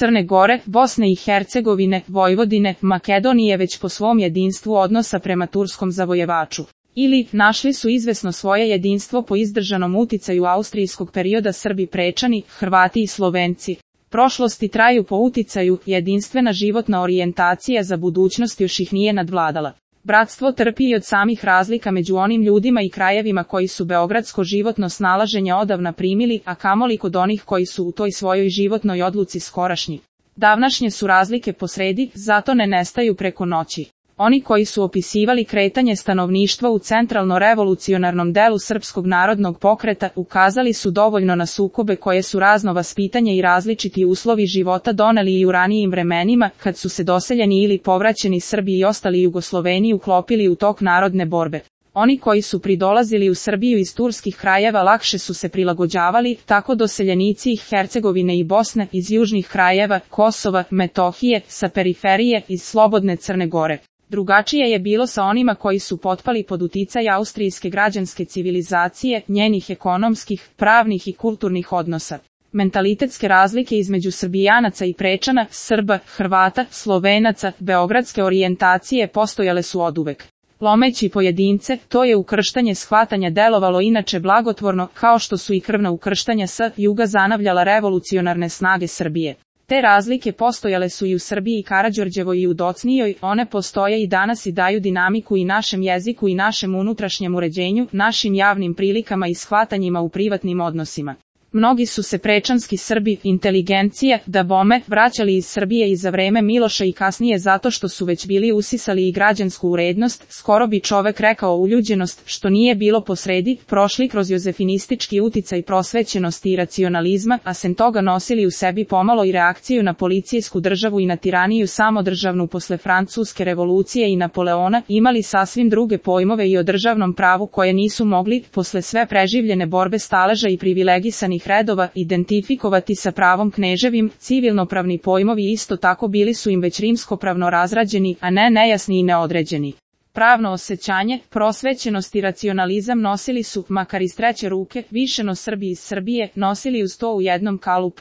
Crne Gore, Bosne i Hercegovine, Vojvodine, Makedonije već po svom jedinstvu odnosa prema turskom zavojevaču. Ili, našli su izvesno svoje jedinstvo po izdržanom uticaju austrijskog perioda Srbi Prečani, Hrvati i Slovenci. Prošlosti traju po uticaju, jedinstvena životna orijentacija za budućnost još ih nije nadvladala. Bratstvo trpi i od samih razlika među onim ljudima i krajevima koji su beogradsko životno snalaženje odavna primili, a kamoli kod onih koji su u toj svojoj životnoj odluci skorašnji. Davnašnje su razlike posredi, zato ne nestaju preko noći. Oni koji su opisivali kretanje stanovništva u centralno-revolucionarnom delu Srpskog narodnog pokreta ukazali su dovoljno na sukobe koje su razno vaspitanje i različiti uslovi života doneli i u ranijim vremenima, kad su se doseljeni ili povraćeni Srbi i ostali Jugosloveni uklopili u tok narodne borbe. Oni koji su pridolazili u Srbiju iz turskih krajeva lakše su se prilagođavali, tako doseljenici iz Hercegovine i Bosne, iz južnih krajeva, Kosova, Metohije, sa periferije, iz slobodne Crne Gore. Drugačije je bilo sa onima koji su potpali pod uticaj austrijske građanske civilizacije, njenih ekonomskih, pravnih i kulturnih odnosa. Mentalitetske razlike između Srbijanaca i Prečana, Srba, Hrvata, Slovenaca, beogradske orijentacije postojale su oduvek. Lomeći pojedince, to je ukrštanje shvatanja delovalo inače blagotvorno, kao što su i krvna ukrštanja sa juga zanavljala revolucionarne snage Srbije. Te razlike postojale su i u Srbiji i Karađorđevoj i u Docnijoj, one postoje i danas i daju dinamiku i našem jeziku i našem unutrašnjem uređenju, našim javnim prilikama i shvatanjima u privatnim odnosima. Mnogi su se prečanski Srbi, inteligencija, dabome, vraćali iz Srbije i za vreme Miloša i kasnije zato što su već bili usisali i građansku urednost, skoro bi čovek rekao uljuđenost, što nije bilo posredi, prošli kroz jozefinistički uticaj prosvećenosti i racionalizma, a sem toga nosili u sebi pomalo i reakciju na policijsku državu i na tiraniju samodržavnu posle Francuske revolucije i Napoleona, imali sasvim druge pojmove i o državnom pravu koje nisu mogli, posle sve preživljene borbe staleža i privilegisanih redova, identifikovati sa pravom kneževim. Civilnopravni pojmovi isto tako bili su im već rimskopravno razrađeni, a ne nejasni i neodređeni. Pravno osjećanje, prosvećenost i racionalizam nosili su, makar iz treće ruke, višeno Srbi iz Srbije, nosili uz to u jednom kalup.